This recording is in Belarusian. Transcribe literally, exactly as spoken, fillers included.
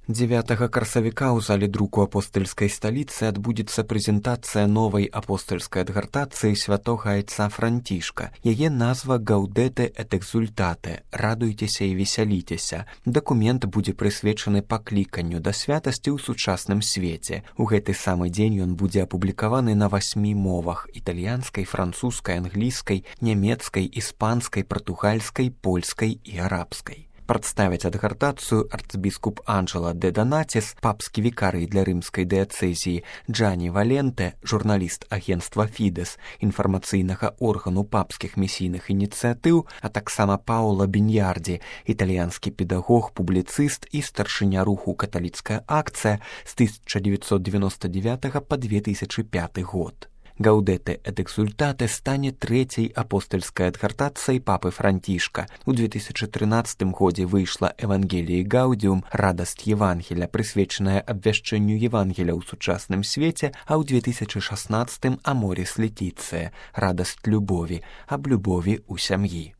дзевятага красавіка ў зале друку апостальскай сталіцы адбудзецца прэзентацыя новай апостальскай адгартацыі святога айца Францішка. Яе назва «Гаудете эт экзультате» – «Радуйцеся і весяліцеся». Дакумент будзе прысвечаны пакліканню да святасці ў сучасным свеце. У гэты самы дзень ён будзе апублікаваны на васьмі мовах – італьянскай, французскай, англійскай, нямецкай, іспанскай, партугальскай, польскай і арабскай. Прадставіць адгартацыю арцбіскуп Анджела де Донатис, папскі вікарый для рымскай дыяцэзіі, Джанні Валенте, журналіст агенцтва Фідэс, інфармацыйнага органу папскіх місійных ініцыятыў, а таксама Паула Біньярді, італьянскі педагог, публіцыст і старшыня руху «Каталіцкая акцыя» з тысяча дзевяцьсот девяносто девятага па две тысячы пяты год. «Гаудете эт экзультате» стане трэцяй апостальскай адгартацыяй папы Францішка. У две тысячы трынаццатым годзе выйшла «Евангеліі Гаудіум» «Радасць Евангеля», прысвечаная абвяшчэнню Евангеля ў сучасным свеце, а ў две тысячы шаснаццатым «Аморіс Летіцыя» «Радасць любові», аб любові ў сям'і.